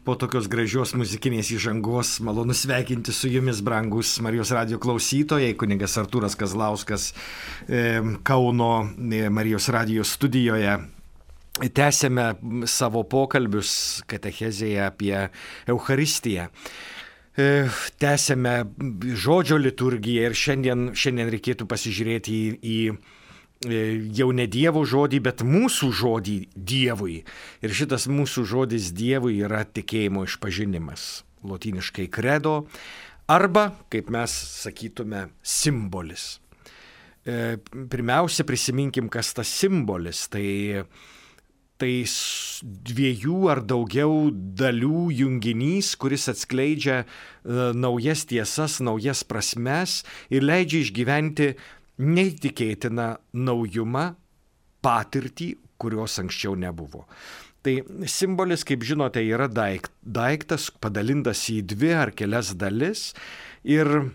Po tokios gražios muzikinės įžangos malonu sveikinti su jumis, brangus Marijos radijo klausytojai, kunigas Artūras Kazlauskas Kauno Marijos radijo studijoje. Tęsėme savo pokalbius katechezėje apie Eucharistiją. Tęsėme žodžio liturgiją ir šiandien reikėtų pasižiūrėti į jau ne Dievo žodį, bet mūsų žodį Dievui. Ir šitas mūsų žodis Dievui yra tikėjimo išpažinimas. Lotyniškai credo arba, kaip mes sakytume, simbolis. Pirmiausia, prisiminkim, kas tas simbolis. Tai dviejų ar daugiau dalių junginys, kuris atskleidžia naujas tiesas, naujas prasmes ir leidžia išgyventi neįtikėtiną naujumą, patirtį, kurios anksčiau nebuvo. Tai simbolis, kaip žinote, yra daiktas padalintas į dvi ar kelias dalis ir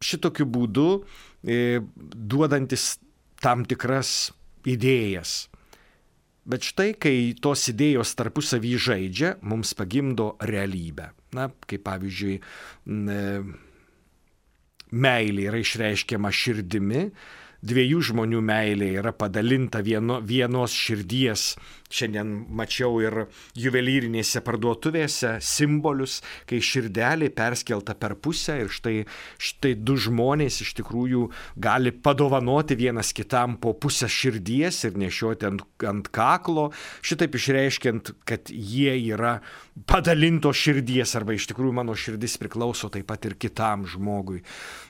šitokiu būdu duodantis tam tikras idėjas. Bet štai, kai tos idėjos tarpusavy žaidžia, mums pagimdo realybę. Na, kaip pavyzdžiui, meilė yra išreiškiama širdimi, dviejų žmonių meilė yra padalinta vienos širdies. Šiandien mačiau ir juvelyrinėse parduotuvėse simbolius, kai širdelė perskelta per pusę ir štai du žmonės iš tikrųjų gali padovanoti vienas kitam po pusę širdies ir nešioti ant kaklo, šitaip išreiškiant, kad jie yra padalinto širdies arba iš tikrųjų mano širdis priklauso taip pat ir kitam žmogui.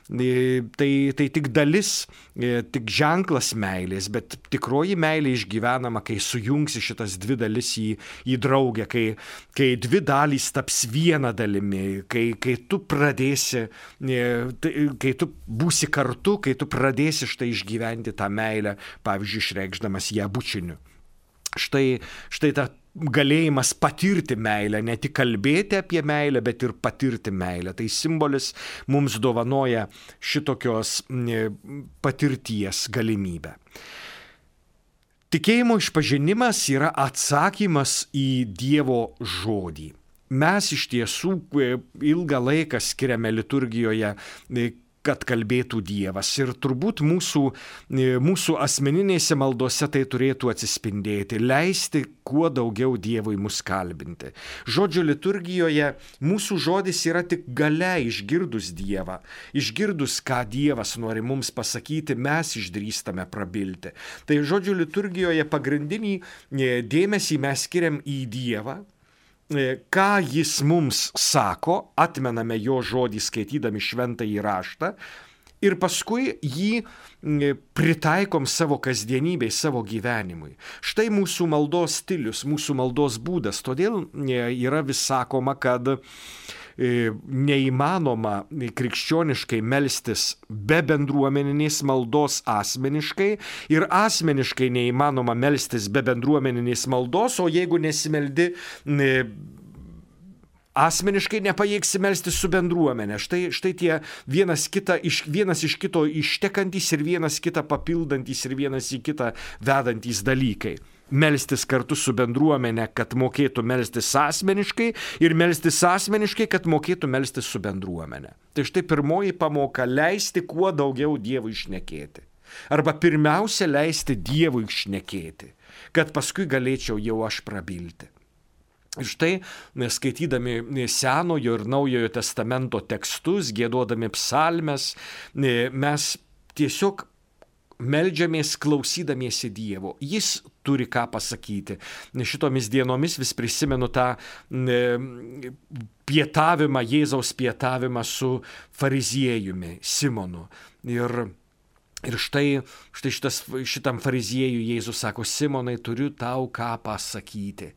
Tai tik dalis, tik ženklas meilės, bet tikroji meilė išgyvenama, kai sujungsi šitas dvi dalis į draugę, kai dvi dalys taps viena dalimi, kai tu pradėsi, kai tu būsi kartu, kai tu pradėsi štai išgyventi tą meilę, pavyzdžiui, išreikšdamas ją bučiniu. Štai ta galėjimas patirti meilę, ne tik kalbėti apie meilę, bet ir patirti meilę. Tai simbolis mums dovanoja šitokios patirties galimybę. Tikėjimo išpažinimas yra atsakymas į Dievo žodį. Mes iš tiesų ilgą laiką skiriame liturgijoje, kad kalbėtų Dievas. Ir turbūt mūsų asmeninėse maldose tai turėtų atsispindėti, leisti kuo daugiau Dievui mus kalbinti. Žodžio liturgijoje mūsų žodis yra tik gale išgirdus Dievą. Išgirdus, ką Dievas nori mums pasakyti, mes išdrįstame prabilti. Tai žodžio liturgijoje pagrindinį dėmesį mes skiriam į Dievą. Ką jis mums sako, atmename jo žodį skaitydami šventąjį raštą ir paskui jį pritaikom savo kasdienybei, savo gyvenimui. Štai mūsų maldos stilius, mūsų maldos būdas. Todėl yra vis sakoma, kad neįmanoma krikščioniškai melstis be bendruomeninės maldos asmeniškai ir asmeniškai neįmanoma melstis be bendruomeninės maldos, o jeigu nesimeldi asmeniškai, nepajėgsi melstis su bendruomenė. Štai tie vienas iš kito ištekantys ir vienas kitą papildantys ir vienas į kitą vedantys dalykai. Melstis kartu su bendruomenė, kad mokėtų melstis asmeniškai ir melstis asmeniškai, kad mokėtų melstis su bendruomenė. Tai štai pirmoji pamoka - leisti kuo daugiau Dievui šnekėti. Arba pirmiausia leisti Dievui šnekėti, kad paskui galėčiau jau aš prabilti. Ir štai, skaitydami Senojo ir Naujojo testamento tekstus, giedodami psalmes, mes tiesiog meldžiamės klausydamiesi Dievo. Jis turi ką pasakyti. Šitomis dienomis vis prisimenu tą pietavimą, Jėzaus pietavimą su fariziejumi, Simonu. Ir štai šitam fariziejui Jėzus sako: Simonai, turiu tau ką pasakyti.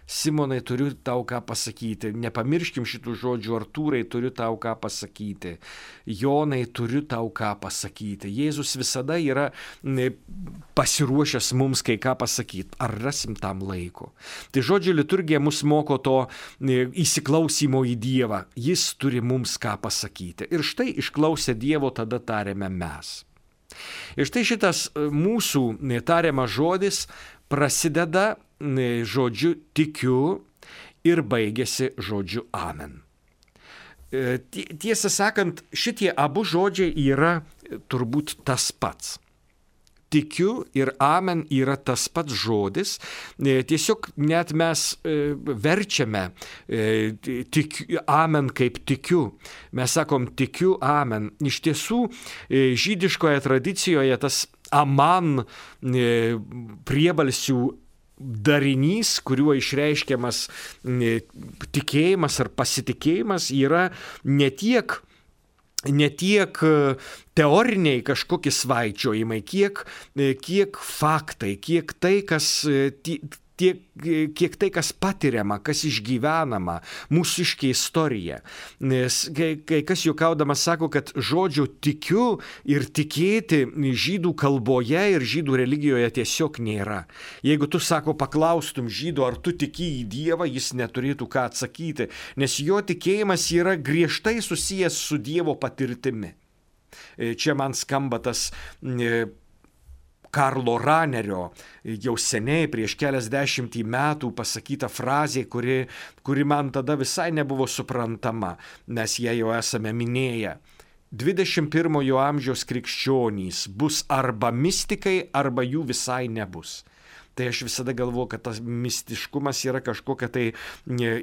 Simonai, turiu tau ką pasakyti. Nepamirškim šitų žodžių. Artūrai, turiu tau ką pasakyti. Jonai, turiu tau ką pasakyti. Jėzus visada yra pasiruošęs mums kai ką pasakyti. Ar rasim tam laiko? Tai žodžio liturgija mus moko to įsiklausimo į Dievą. Jis turi mums ką pasakyti. Ir štai išklausę Dievo tada tariame mes. Ir štai šitas mūsų tariamas žodis prasideda žodžiu tikiu ir baigėsi žodžiu amen. Tiesą sakant, šitie abu žodžiai yra turbūt tas pats. Tikiu ir amen yra tas pats žodis. Tiesiog net mes verčiame amen kaip tikiu. Mes sakom tikiu amen. Iš tiesų, žydiškoje tradicijoje tas aman priebalsių darinys, kuriuo išreiškiamas tikėjimas ar pasitikėjimas, yra ne tiek teoriniai kažkokie svaičiojimai, kiek faktai, kiek tai, kas patiriama, kas išgyvenama, mūsiškė istorija. Nes kai kas juokaudamas sako, kad žodžio tikiu ir tikėti žydų kalboje ir žydų religijoje tiesiog nėra. Jeigu tu, sako, paklaustum žydų, ar tu tiki į Dievą, jis neturėtų ką atsakyti, nes jo tikėjimas yra griežtai susijęs su Dievo patirtimi. Čia man skamba tas Karlo Ranerio jau seniai prieš keliasdešimtį metų pasakyta frazė, kuri man tada visai nebuvo suprantama, nes ją jau esame minėję. 21 amžiaus krikščionys bus arba mistikai, arba jų visai nebus. Tai aš visada galvoju, kad tas mistiškumas yra kažkokia tai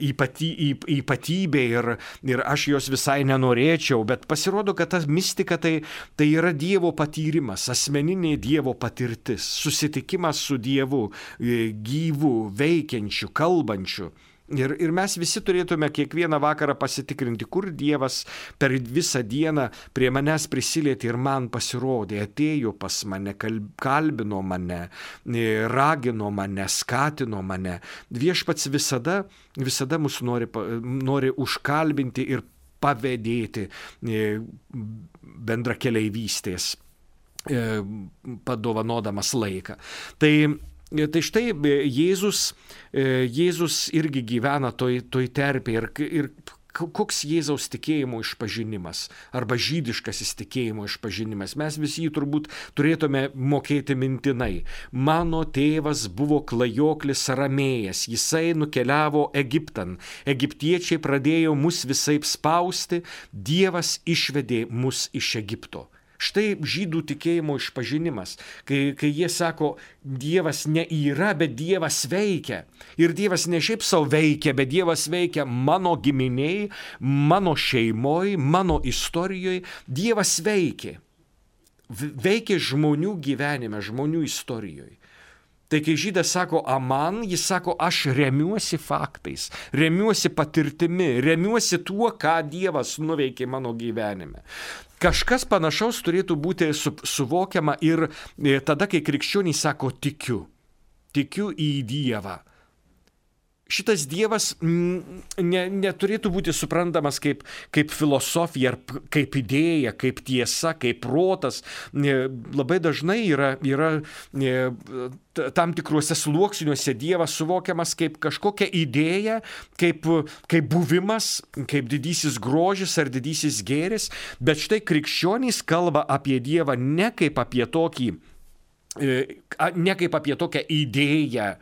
ypatybė ir aš jos visai nenorėčiau, bet pasirodo, kad tas mistika tai yra Dievo patyrimas, asmeninė Dievo patirtis, susitikimas su Dievu, gyvu, veikiančiu, kalbančiu. Ir mes visi turėtume kiekvieną vakarą pasitikrinti, kur Dievas per visą dieną prie manęs prisilietė ir man pasirodė, atėjo pas mane, kalbino mane, ragino mane, skatino mane. Viešpats visada mus nori užkalbinti ir pavedėti bendrakeleivystės, padovanodamas laiką. Tai štai Jėzus irgi gyvena toj terpėje ir koks Jėzaus tikėjimo išpažinimas arba žydiškasis tikėjimo išpažinimas. Mes visi jį turbūt turėtume mokėti mintinai. Mano tėvas buvo klajoklis aramėjas, jisai nukeliavo Egiptan. Egiptiečiai pradėjo mus visaip spausti, Dievas išvedė mus iš Egipto. Štai žydų tikėjimo išpažinimas, kai jie sako, Dievas ne yra, bet Dievas veikia. Ir Dievas ne šiaip savo veikia, bet Dievas veikia mano giminiai, mano šeimoje, mano istorijoje. Dievas veikia. Veikia žmonių gyvenime, žmonių istorijoje. Tai kai žydas sako aman, jis sako, aš remiuosi faktais, remiuosi patirtimi, remiuosi tuo, ką Dievas nuveikė mano gyvenime. Kažkas panašaus turėtų būti suvokiama ir tada, kai krikščionys sako tikiu į Dievą. Šitas Dievas neturėtų būti suprantamas kaip filosofija, ar kaip idėja, kaip tiesa, kaip protas. Labai dažnai yra tam tikruose sluoksniuose Dievas suvokiamas kaip kažkokia idėja, kaip buvimas, kaip didysis grožis ar didysis gėris. Bet štai krikščionys kalba apie Dievą ne kaip apie tokią idėją,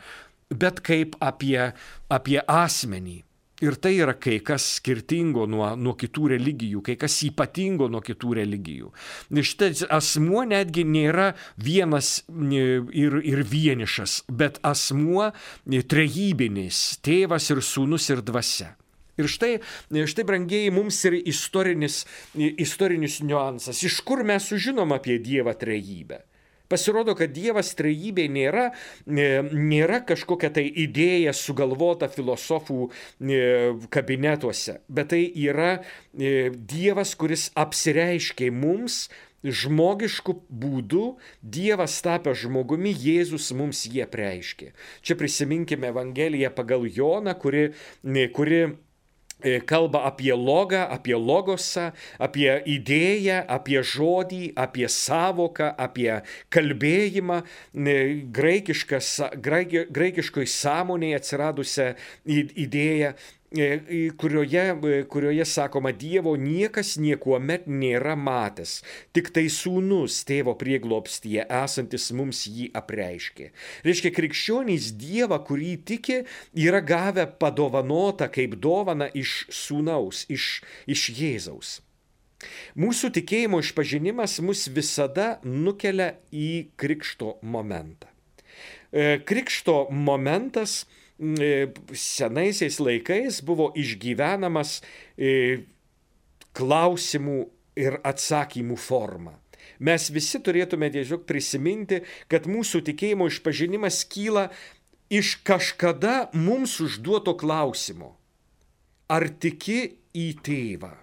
bet kaip apie asmenį. Ir tai yra kai kas skirtingo nuo kitų religijų, kai kas ypatingo nuo kitų religijų. Šitas asmuo netgi nėra vienas ir vienišas, bet asmuo trejybinis, tėvas ir sūnus ir dvasia. Ir štai brangieji, mums ir istorinis niuansas. Iš kur mes sužinom apie Dievą trejybę? Pasirodo, kad Dievas trejybė nėra kažkokia tai idėja sugalvota filosofų kabinetuose, bet tai yra Dievas, kuris apsireiškė mums žmogišku būdu, Dievas tapęs žmogumi, Jėzus mums jį apreiškė. Čia prisiminkime Evangeliją pagal Joną, kuri kalba apie logą, apie logosą, apie idėją, apie žodį, apie sąvoką, apie kalbėjimą, graikiškoj sąmonėje atsiradusią idėją. kurioje sakoma, Dievo niekas niekuomet nėra matęs, tik tai Sūnus tėvo prieglobstyje esantis mums jį apreiškė. Reiškia, krikščionys Dievą, kurį tiki, yra gavę padovanotą kaip dovana iš Sūnaus, iš Jėzaus. Mūsų tikėjimo išpažinimas mus visada nukelia į krikšto momentą. Krikšto momentas senaisiais laikais buvo išgyvenamas klausimų ir atsakymų forma. Mes visi turėtume tiesiog prisiminti, kad mūsų tikėjimo išpažinimas kyla iš kažkada mums užduoto klausimo. Ar tiki į tėvą?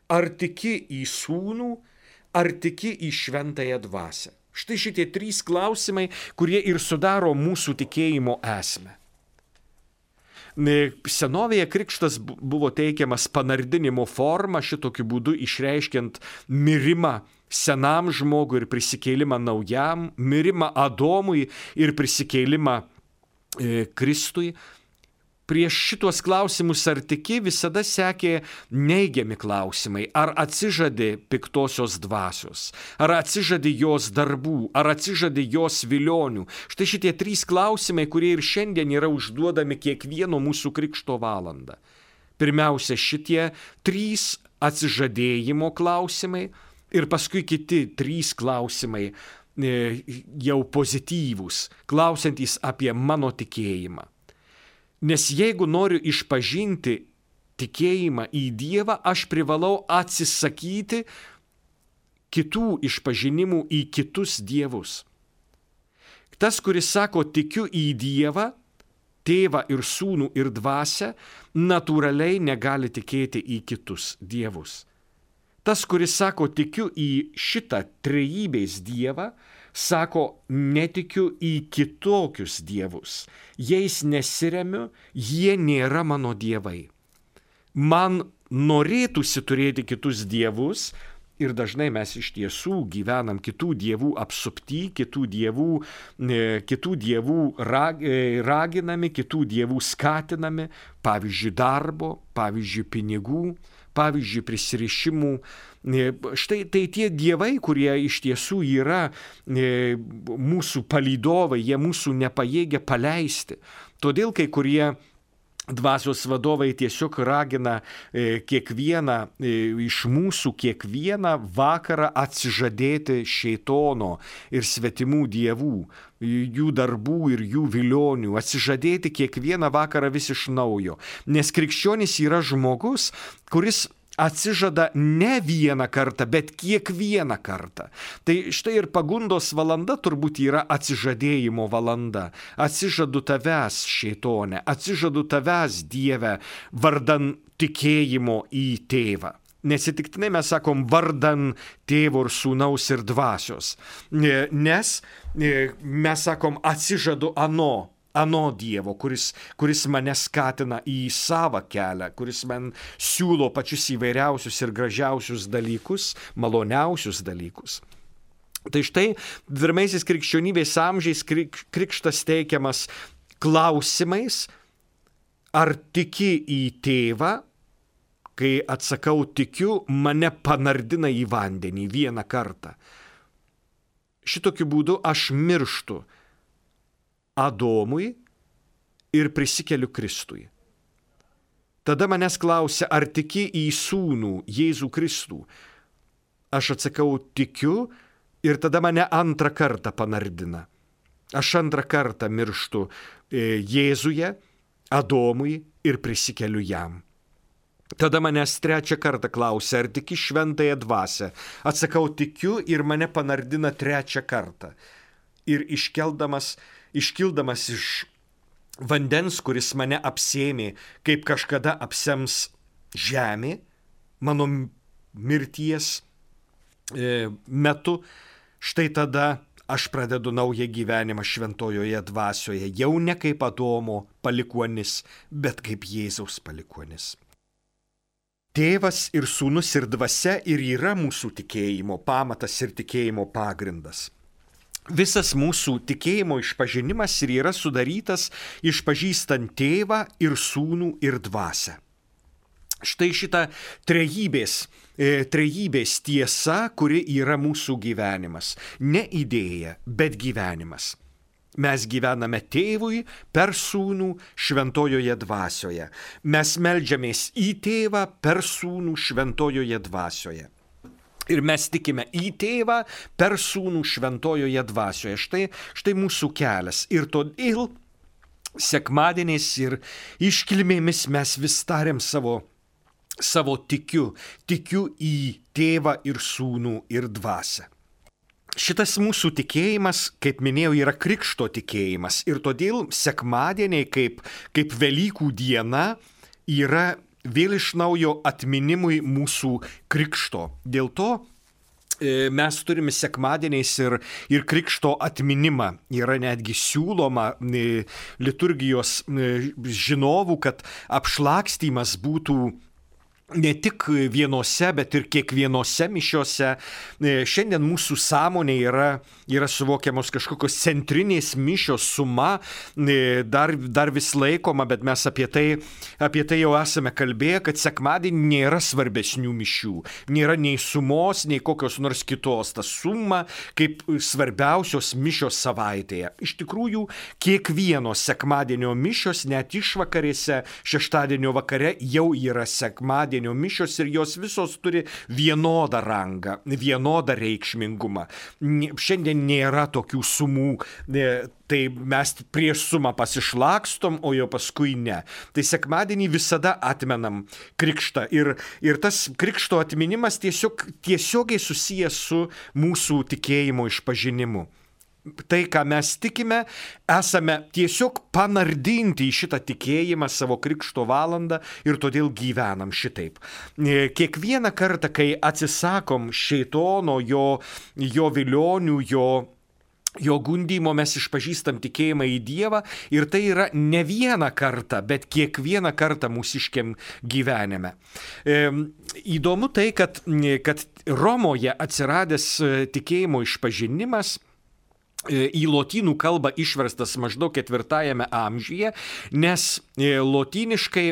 Ar tiki į sūnų? Ar tiki į šventąją dvasią? Štai šitie 3 klausimai, kurie ir sudaro mūsų tikėjimo esmę. Senovėje krikštas buvo teikiamas panardinimo forma, šitokiu būdu išreiškiant mirimą senam žmogui ir prisikėlimą naujam, mirimą Adomui ir prisikėlimą Kristui. Prieš šitos klausimus ar tiki visada sekė neigiami klausimai. Ar atsižadi piktosios dvasios, ar atsižadi jos darbų, ar atsižadi jos vilionių. Štai šitie 3 klausimai, kurie ir šiandien yra užduodami kiekvieno mūsų krikšto valandą. Pirmiausia, šitie 3 atsižadėjimo klausimai ir paskui kiti 3 klausimai jau pozityvūs, klausiantys apie mano tikėjimą. Nes jeigu noriu išpažinti tikėjimą į Dievą, aš privalau atsisakyti kitų išpažinimų į kitus dievus. Tas, kuris sako tikiu į Dievą, tėvą ir sūnų ir dvasią, natūraliai negali tikėti į kitus dievus. Tas, kuris sako tikiu į šitą trejybės Dievą, sako, netikiu į kitokius dievus. Jais nesiremiu, jie nėra mano dievai. Man norėtųsi turėti kitus dievus ir dažnai mes iš tiesų gyvenam kitų dievų apsupty, kitų dievų raginami, kitų dievų skatinami, pavyzdžiui darbo, pavyzdžiui pinigų, pavyzdžiui prisirišimų. Štai tai tie dievai, kurie iš tiesų yra mūsų palydovai, jie mūsų nepajėgia paleisti. Todėl kai kurie dvasios vadovai tiesiog ragina kiekvieną iš mūsų kiekvieną vakarą atsižadėti šėtono ir svetimų dievų, jų darbų ir jų vilionių, atsižadėti kiekvieną vakarą vis iš naujo. Nes krikščionis yra žmogus, kuris atsižada ne vieną kartą, bet kiekvieną kartą. Tai štai ir pagundos valanda turbūt yra atsižadėjimo valanda. Atsižadu tavęs, šėtone, atsižadu tavęs, Dieve, vardan tikėjimo į tėvą. Neatsitiktinai mes sakom vardan tėvo ir sūnaus ir dvasios. Nes mes sakom atsižadu ano Dievo, kuris mane skatina į savą kelią, kuris man siūlo pačius įvairiausius ir gražiausius dalykus, maloniausius dalykus. Tai štai pirmaisiais krikščionybės amžiais krikštas teikiamas klausimais, ar tiki į tėvą, kai atsakau tikiu, mane panardina į vandenį vieną kartą. Šitokiu būdu aš mirštu Adomui ir prisikeliu Kristui. Tada manęs klausia, ar tiki į sūnų Jėzų Kristų. Aš atsakau, tikiu ir tada mane antrą kartą panardina. Aš antrą kartą mirštu Jėzuje, Adomui ir prisikeliu jam. Tada manęs trečią kartą klausia, ar tiki šventąją dvasią. Atsakau, tikiu ir mane panardina trečią kartą. Ir iškildamas iš vandens, kuris mane apsėmė, kaip kažkada apsems žemė, mano mirties metu, štai tada aš pradedu naują gyvenimą šventojoje dvasioje, jau ne kaip Adomo palikuonis, bet kaip Jėzaus palikuonis. Tėvas ir sūnus ir dvasia ir yra mūsų tikėjimo pamatas ir tikėjimo pagrindas. Visas mūsų tikėjimo išpažinimas ir yra sudarytas išpažįstant Tėvą ir Sūnų ir Dvasią. Štai šita trejybės tiesa, kuri yra mūsų gyvenimas. Ne idėja, bet gyvenimas. Mes gyvename Tėvui per Sūnų šventojoje dvasioje. Mes meldžiamės į Tėvą per Sūnų šventojoje dvasioje. Ir mes tikime į Tėvą per Sūnų šventojoje dvasioje. Štai mūsų kelias. Ir todėl sekmadieniais ir iškilmėmis mes vis tariam savo tikiu į Tėvą ir Sūnų ir Dvasią. Šitas mūsų tikėjimas, kaip minėjau, yra krikšto tikėjimas. Ir todėl sekmadieniai kaip Velykų diena yra vėl iš naujo atminimui mūsų krikšto. Dėl to mes turime sekmadieniais ir krikšto atminimą. Yra netgi siūloma liturgijos žinovų, kad apšlakstymas būtų ne tik vienose, bet ir kiekvienose mišiose. Šiandien mūsų sąmonė yra suvokiamos kažkokios centrinės mišios suma, dar vis laikoma, bet mes apie tai jau esame kalbėję, kad sekmadienį nėra svarbesnių mišių. Nėra nei sumos, nei kokios nors kitos. Ta suma kaip svarbiausios mišios savaitėje. Iš tikrųjų, kiekvienos sekmadienio mišios, net išvakarėse, šeštadienio vakare jau yra sekmadienio mišios ir jos visos turi vienodą rangą, vienodą reikšmingumą. Šiandien nėra tokių sumų, tai mes prieš sumą pasišlakstom, o jau paskui ne. Tai sekmadienį visada atmenam krikštą ir tas krikšto atminimas tiesiogiai susijęs su mūsų tikėjimo išpažinimu. Tai, ką mes tikime, esame tiesiog panardinti į šitą tikėjimą savo krikšto valandą ir todėl gyvenam šitaip. Kiekvieną kartą, kai atsisakom šėtono, jo vilionių, jo gundymo, mes išpažįstam tikėjimą į Dievą ir tai yra ne vieną kartą, bet kiekvieną kartą mūsiškiam gyvenime. Įdomu tai, kad Romoje atsiradęs tikėjimo išpažinimas į lotynų kalbą išverstas maždaug 4 amžiuje, nes lotyniškai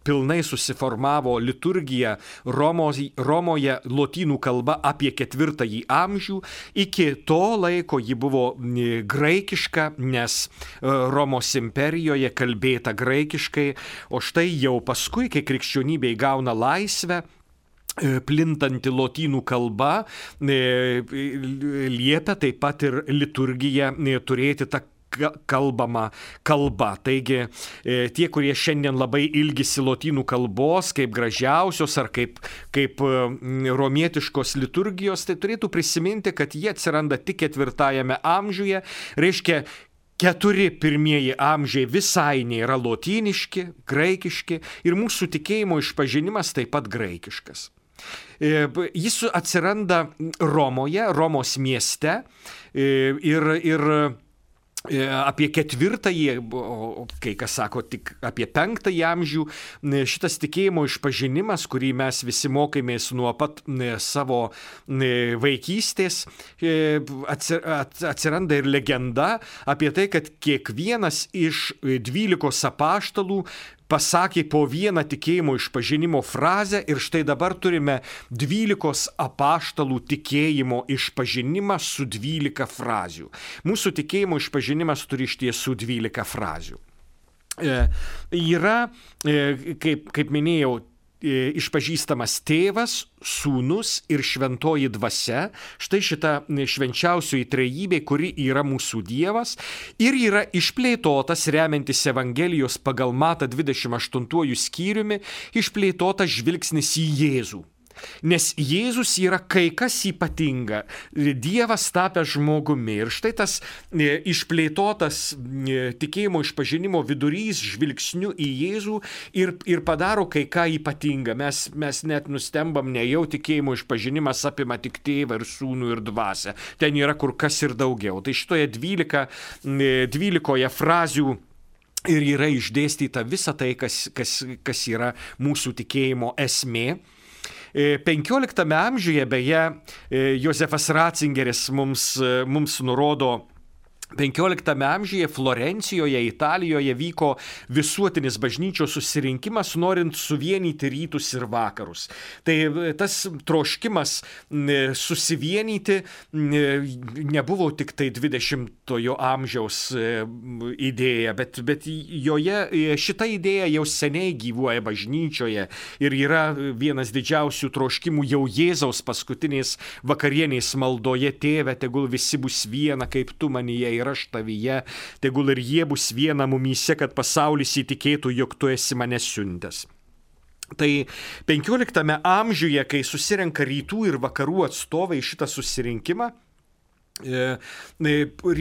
pilnai susiformavo liturgija Romoje lotynų kalba apie 4 amžių. Iki to laiko ji buvo graikiška, nes Romos imperijoje kalbėta graikiškai, o štai jau paskui, kai krikščionybė įgauna laisvę, plintanti lotynų kalba liepia taip pat ir liturgiją turėti tą kalbama kalba. Taigi tie, kurie šiandien labai ilgisi lotynų kalbos kaip gražiausios ar kaip romietiškos liturgijos, tai turėtų prisiminti, kad jie atsiranda tik 4 amžiuje, reiškia 4 pirmieji amžiai visai nėra lotyniški, graikiški ir mūsų tikėjimo išpažinimas taip pat graikiškas. Jis atsiranda Romoje, Romos mieste ir apie 4-ąjį, kai kas sako tik apie 5-ąjį amžių, šitas tikėjimo išpažinimas, kurį mes visi mokėmės nuo pat savo vaikystės, atsiranda ir legenda apie tai, kad kiekvienas iš 12 apaštalų pasakė po vieną tikėjimo išpažinimo frazę ir štai dabar turime 12 apaštalų tikėjimo išpažinimą su 12 frazių. Mūsų tikėjimo išpažinimas turi iš tiesų 12 frazių. Yra, kaip minėjau, išpažįstamas Tėvas, Sūnus ir Šventoji Dvasia. Štai šita švenčiausioji trejybė, kuri yra mūsų Dievas ir yra išplėtotas remiantis Evangelijos pagal Matą 28 skyriumi, išplėtotas žvilgsnis į Jėzų. Nes Jėzus yra kai kas ypatinga, Dievas tapęs žmogumi. Ir štai tas išplėtotas tikėjimo išpažinimo vidurys žvilgsniu į Jėzų ir padaro kai ką ypatingą. Mes net nustembam, nejau tikėjimo išpažinimas apima tik Tėvą ir Sūnų ir Dvasią. Ten yra kur kas ir daugiau. Tai šitoje 12 frazių ir yra išdėstyta visa tai, kas yra mūsų tikėjimo esmė. XV amžiuje beje Josefas Ratzingeris mums nurodo, XV amžiuje Florencijoje, Italijoje vyko visuotinis bažnyčios susirinkimas, norint suvienyti rytus ir vakarus. Tai tas troškimas susivienyti nebuvo tik tai 20-ojo amžiaus idėja, bet šita idėja jau seniai gyvuoja bažnyčioje ir yra vienas didžiausių troškimų jau Jėzaus paskutinės vakarienės maldoje: Tėve, tegul visi bus viena, kaip tu manyje ir aš tavyje, tegul ir jie bus viena mumyse, kad pasaulis įtikėtų, jog tu esi mane siuntęs. Tai XV amžiuje, kai susirenka rytų ir vakarų atstovai šitą susirinkimą,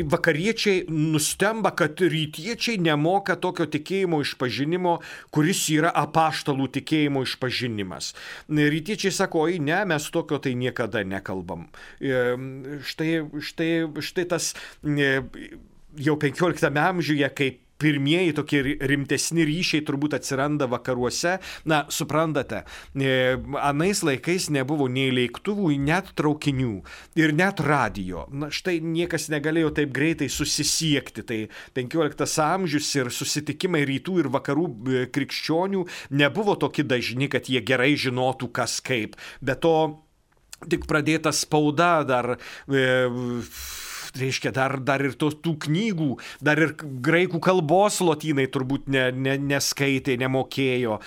vakariečiai nustemba, kad rytiečiai nemoka tokio tikėjimo išpažinimo, kuris yra apaštalų tikėjimo išpažinimas. Rytiečiai sako, oi ne, mes tokio tai niekada nekalbam. Štai tas jau XV amžiuje, kaip pirmieji tokie rimtesni ryšiai turbūt atsiranda vakaruose. Na, suprantate, anais laikais nebuvo nei lėktuvų, net traukinių ir net radijo. Na, štai niekas negalėjo taip greitai susisiekti. Tai XV amžius ir susitikimai rytų ir vakarų krikščionių nebuvo tokie dažni, kad jie gerai žinotų, kas kaip. Be to, tik pradėta spauda dar... Reiškia, dar ir tų knygų, dar ir graikų kalbos lotynai turbūt neskaitė, nemokėjo,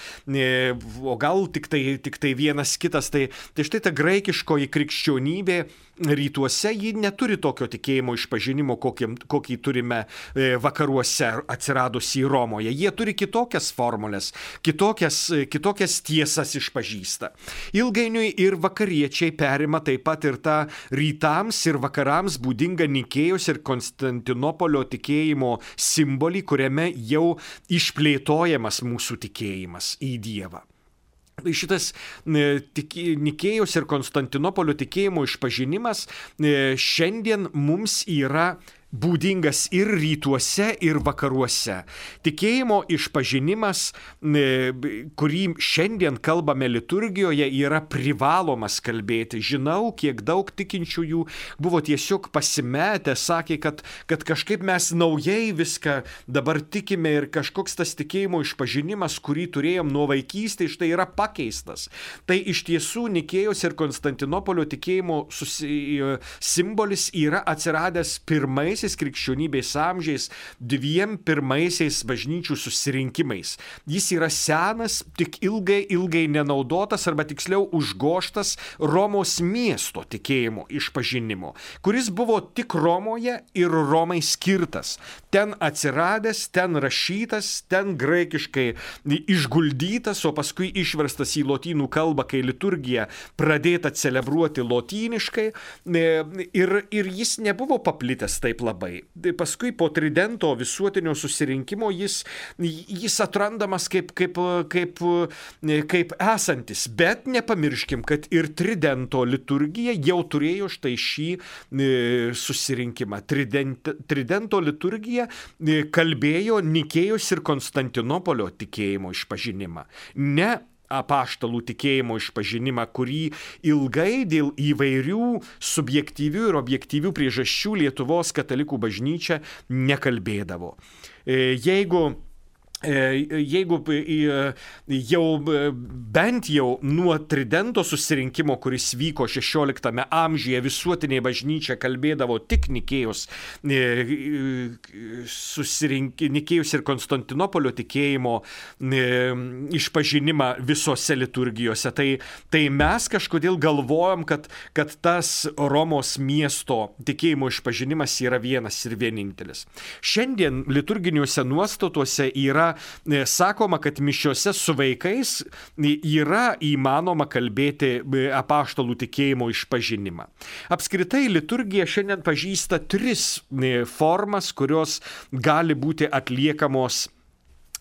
o gal tik tai vienas kitas. Tai štai ta graikiškoji krikščionybė rytuose, ji neturi tokio tikėjimo išpažinimo, kokį turime vakaruose atsiradusį Romoje. Jie turi kitokias formulės, kitokias tiesas išpažįsta. Ilgainiui ir vakariečiai perima taip pat ir tą rytams ir vakarams būdingą Nikėjos ir Konstantinopolio tikėjimo simbolį, kuriame jau išplėtojamas mūsų tikėjimas į Dievą. Šitas Nikėjos ir Konstantinopolio tikėjimo išpažinimas šiandien mums yra būdingas ir rytuose, ir vakaruose. Tikėjimo išpažinimas, kurį šiandien kalbame liturgijoje, yra privalomas kalbėti. Žinau, kiek daug tikinčiųjų buvo tiesiog pasimetę, sakė, kad kažkaip mes naujai viską dabar tikime ir kažkoks tas tikėjimo išpažinimas, kurį turėjom nuo vaikystės, štai yra pakeistas. Tai iš tiesų Nikėjos ir Konstantinopolio tikėjimo simbolis yra atsiradęs pirmaisiais krikščionybės amžiais, 2 pirmaisiais bažnyčių susirinkimais. Jis yra senas, tik ilgai nenaudotas arba tiksliau užgoštas Romos miesto tikėjimo išpažinimo, kuris buvo tik Romoje ir Romai skirtas. Ten atsiradęs, ten rašytas, ten graikiškai išguldytas, o paskui išverstas į lotynų kalbą, kai liturgija pradėta celebruoti lotyniškai, ir jis nebuvo paplitęs taip labai. Paskui po Tridento visuotinio susirinkimo jis atrandamas kaip esantis. Bet nepamirškim, kad ir Tridento liturgija jau turėjo štai šį susirinkimą. Tridento liturgija kalbėjo Nikėjos ir Konstantinopolio tikėjimo išpažinimą. Ne apaštalų tikėjimo išpažinimą, kurį ilgai dėl įvairių subjektyvių ir objektyvių priežasčių Lietuvos katalikų bažnyčia nekalbėdavo. Jeigu jau bent jau nuo Tridento susirinkimo, kuris vyko XVI amžiuje, visuotinė bažnyčia kalbėdavo tik Nikėjos ir Konstantinopolio tikėjimo išpažinimą visose liturgijose. Tai mes kažkodėl galvojam, kad tas Romos miesto tikėjimo išpažinimas yra vienas ir vienintelis. Šiandien liturginiuose nuostatuose yra sakoma, kad mišiose su vaikais yra įmanoma kalbėti apaštalų tikėjimo išpažinimą. Apskritai liturgija šiandien pažįsta 3 formas, kurios gali būti atliekamos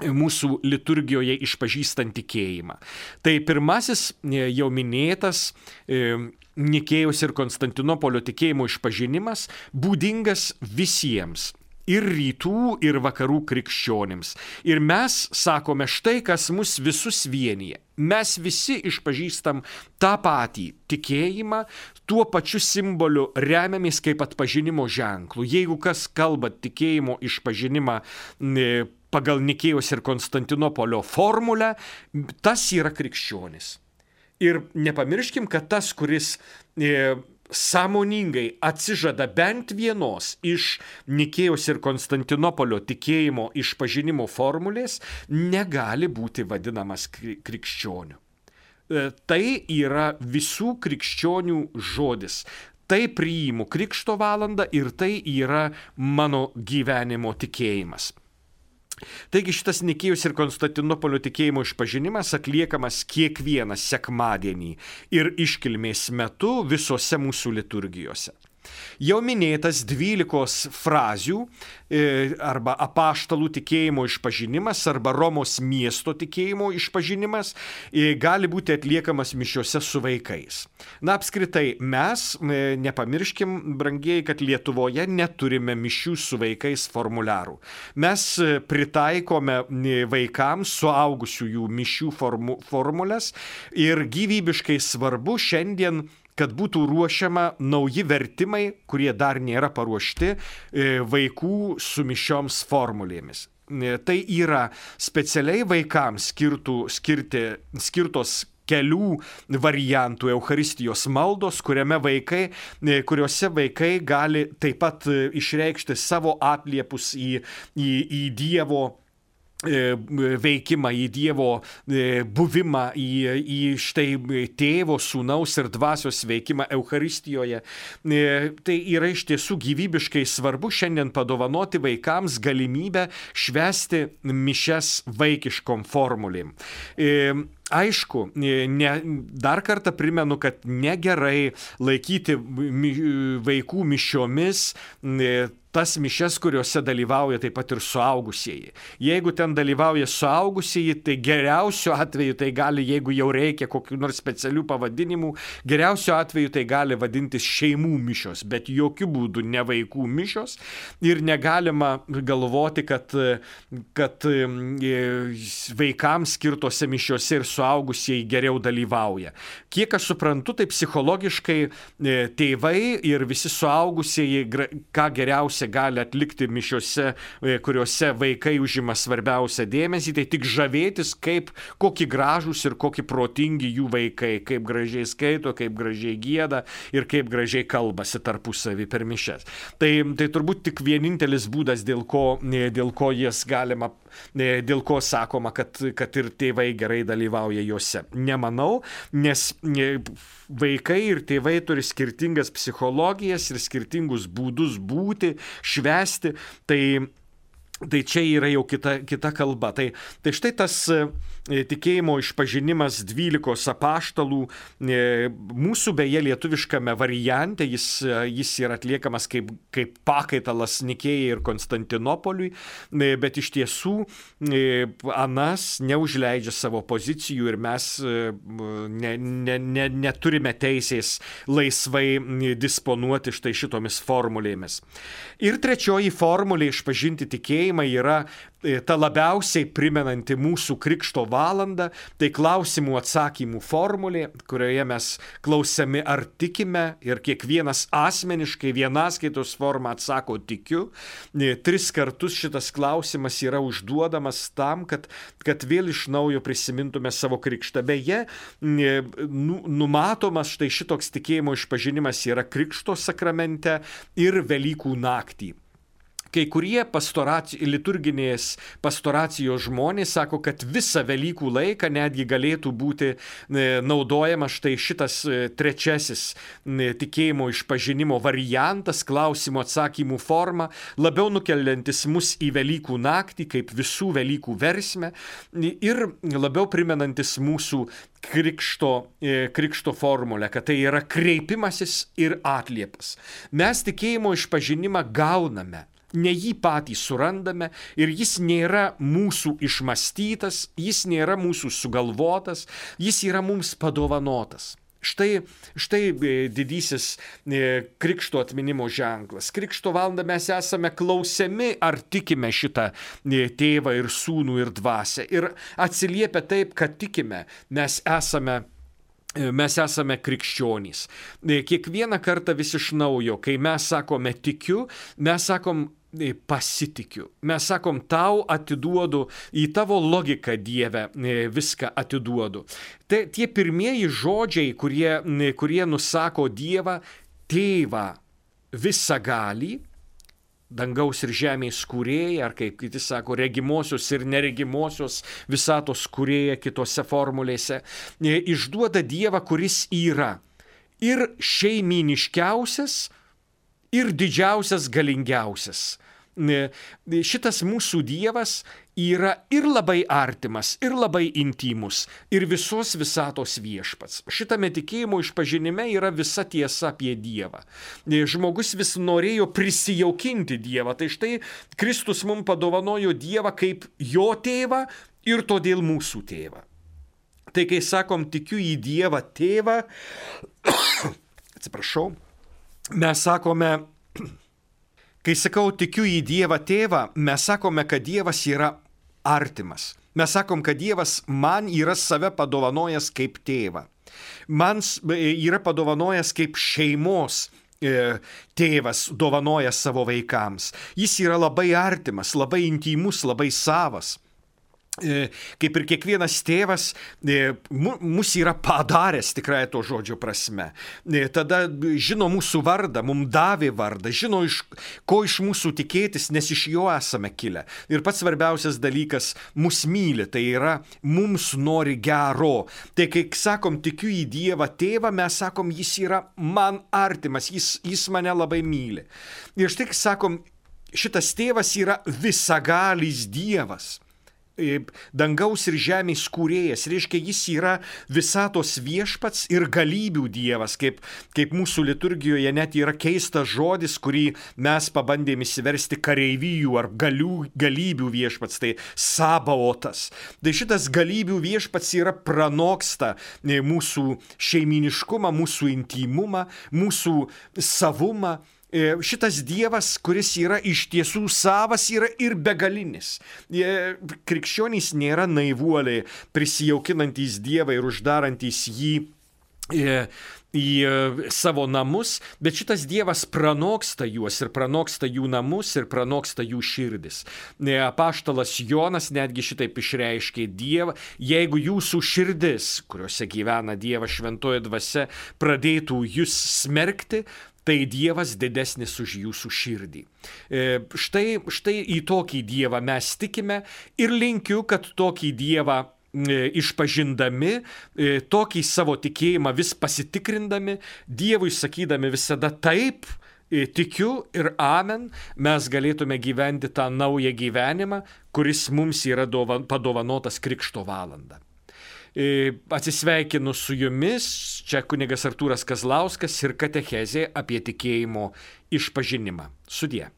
mūsų liturgijoje išpažįstant tikėjimą. Tai pirmasis jau minėtas Nikėjos ir Konstantinopolio tikėjimo išpažinimas būdingas visiems. ir rytų, ir vakarų krikščionims. Ir mes sakome, štai kas mus visus vienyje. Mes visi išpažįstam tą patį tikėjimą, tuo pačiu simboliu remiamės kaip atpažinimo ženklų. Jeigu kas kalba tikėjimo išpažinimą pagal Nikėjos ir Konstantinopolio formulę, tas yra krikščionis. Ir nepamirškim, kad tas, kuris sąmoningai atsižada bent vienos iš Nikėjos ir Konstantinopolio tikėjimo išpažinimo formulės, negali būti vadinamas krikščioniu. Tai yra visų krikščionių žodis. Tai priimu Krikšto valandą ir tai yra mano gyvenimo tikėjimas. Taigi šitas Nikėjos ir Konstantinopolio tikėjimo išpažinimas atliekamas kiekvieną sekmadienį ir iškilmės metu visose mūsų liturgijose. Jau minėtas 12 frazių arba apaštalų tikėjimo išpažinimas arba Romos miesto tikėjimo išpažinimas gali būti atliekamas mišiose su vaikais. Na, apskritai, mes nepamirškim, brangieji, kad Lietuvoje neturime mišių su vaikais formuliarų. Mes pritaikome vaikams suaugusiųjų mišių formulės ir gyvybiškai svarbu šiandien, kad būtų ruošiama nauji vertimai, kurie dar nėra paruošti vaikų su mišioms formulėmis. Tai yra specialiai vaikams skirtos kelių variantų Eucharistijos maldos, kuriuose vaikai gali taip pat išreikšti savo atliepus į Dievo veikimą, į Dievo buvimą, į štai Tėvo, Sūnaus ir Dvasios veikimą Eucharistijoje. Tai yra iš tiesų gyvybiškai svarbu šiandien padovanoti vaikams galimybę švęsti mišias vaikiškom formulėm. Aišku, dar kartą primenu, kad negerai laikyti vaikų mišiomis tas mišias, kuriuose dalyvauja taip pat ir suaugusieji. Jeigu ten dalyvauja suaugusieji, tai geriausiu atveju tai gali, jeigu jau reikia kokių nors specialių pavadinimų, geriausiu atveju tai gali vadintis šeimų mišios, bet jokių būdų ne vaikų mišios. Ir negalima galvoti, kad vaikams skirtose mišiose ir suaugusieji geriau dalyvauja. Kiek aš suprantu, tai psichologiškai tėvai ir visi suaugusieji, ką geriausia gali atlikti mišiose, kuriuose vaikai užima svarbiausią dėmesį, tai tik žavėtis, kokie gražūs ir kokie protingi jų vaikai, kaip gražiai skaito, kaip gražiai gieda ir kaip gražiai kalbasi tarpusavį per mišias. Tai turbūt tik vienintelis būdas, dėl ko jas galima, dėl ko sakoma, kad ir tėvai gerai dalyvauja juose. Nemanau, nes vaikai ir tėvai turi skirtingas psichologijas ir skirtingus būdus būti, švęsti, tai čia yra jau kita kalba. Tai štai tas tikėjimo išpažinimas 12 apaštalų, mūsų beje lietuviškame variante, jis yra atliekamas kaip pakaitalas Nikėjai ir Konstantinopoliui, bet iš tiesų anas neužleidžia savo pozicijų ir mes neturime teisės laisvai disponuoti štai šitomis formulėmis. Ir trečioji formulė išpažinti tikėjimą yra ta labiausiai primenanti mūsų Krikšto valandą, tai klausimų atsakymų formulė, kurioje mes klausiami ar tikime ir kiekvienas asmeniškai vienaskaitos formą atsako tikiu. 3 kartus šitas klausimas yra užduodamas tam, kad vėl iš naujo prisimintume savo krikštą. Beje, numatomas štai šitoks tikėjimo išpažinimas yra Krikšto sakramente ir Velykų naktį. Kai kurie liturginės pastoracijos žmonės sako, kad visą Velykų laiką netgi galėtų būti naudojamas štai šitas trečiasis tikėjimo išpažinimo variantas, klausimų atsakymų forma, labiau nukeliantis mus į Velykų naktį, kaip visų Velykų versmę ir labiau primenantis mūsų Krikšto formulę, kad tai yra kreipimasis ir atliepas. Mes tikėjimo išpažinimą gauname. Ne jį patį surandame ir jis nėra mūsų išmąstytas, jis nėra mūsų sugalvotas, jis yra mums padovanotas. Štai didysis krikšto atminimo ženklas. Krikšto valandą mes esame klausiami, ar tikime šitą tėvą ir sūnų ir dvasią. Ir atsiliepia taip, kad tikime, mes esame krikščionys. Kiekvieną kartą vis iš naujo, kai mes sakome tikiu, mes sakom pasitikiu. Mes sakom, tau atiduodu, į tavo logiką, Dieve, viską atiduodu. Tie pirmieji žodžiai, kurie nusako Dievą, tėvą visagalį, dangaus ir žemės kūrėją, ar kaip kiti sako, regimosios ir neregimosios visatos kūrėją kitose formulėse, išduoda Dievą, kuris yra ir šeiminiškiausias, ir didžiausias, galingiausias. Šitas mūsų Dievas yra ir labai artimas, ir labai intymus, ir visos visatos viešpats. Šitame tikėjimo išpažinime yra visa tiesa apie Dievą. Žmogus vis norėjo prisijaukinti Dievą, tai štai Kristus mums padovanojo Dievą kaip jo tėvą ir todėl mūsų tėvą. Tai kai sakom, tikiu į Dievą tėvą, atsiprašau, mes sakome, kai sakau, tikiu į Dievą tėvą, mes sakome, kad Dievas yra artimas. Mes sakom, kad Dievas man yra save padovanojęs kaip tėvą. Man yra padovanojęs kaip šeimos tėvas dovanoja savo vaikams. Jis yra labai artimas, labai intymus, labai savas. Kaip ir kiekvienas tėvas, mus yra padaręs tikrai to žodžio prasme. Tada žino mūsų vardą, mums davė vardą, žino, ko iš mūsų tikėtis, nes iš jo esame kilę. Ir pats svarbiausias dalykas, mus myli, tai yra, mums nori gero. Tai kai sakom, tikiu į Dievą tėvą, mes sakom, jis yra man artimas, jis mane labai myli. Ir štai sakom, šitas tėvas yra visagalis Dievas. Dangaus ir žemės kūrėjas, reiškia, jis yra visatos viešpats ir galybių Dievas, kaip mūsų liturgijoje net yra keistas žodis, kurį mes pabandėme įsiversti kareivijų ar galybių viešpats, tai sabaotas. Tai šitas galybių viešpats yra pranoksta mūsų šeiminiškumą, mūsų intymumą, mūsų savumą. Šitas Dievas, kuris yra iš tiesų savas, yra ir begalinis. Krikščionys nėra naivuoliai, prisijaukinantys Dievą ir uždarantys jį į savo namus, bet šitas Dievas pranoksta juos ir pranoksta jų namus ir pranoksta jų širdis. Apaštalas Jonas netgi šitaip išreiškė Dievą, jeigu jūsų širdis, kuriuose gyvena Dievas šventoji dvasia, pradėtų jūs smerkti, tai Dievas didesnis už jūsų širdį. Štai į tokį Dievą mes tikime ir linkiu, kad tokį Dievą išpažindami, tokį savo tikėjimą vis pasitikrindami, Dievui sakydami visada taip, tikiu ir amen, mes galėtume gyventi tą naują gyvenimą, kuris mums yra padovanotas Krikšto valandą. Atsisveikinu su jumis, čia kunigas Artūras Kazlauskas ir katechezė apie tikėjimo išpažinimą. Sudie.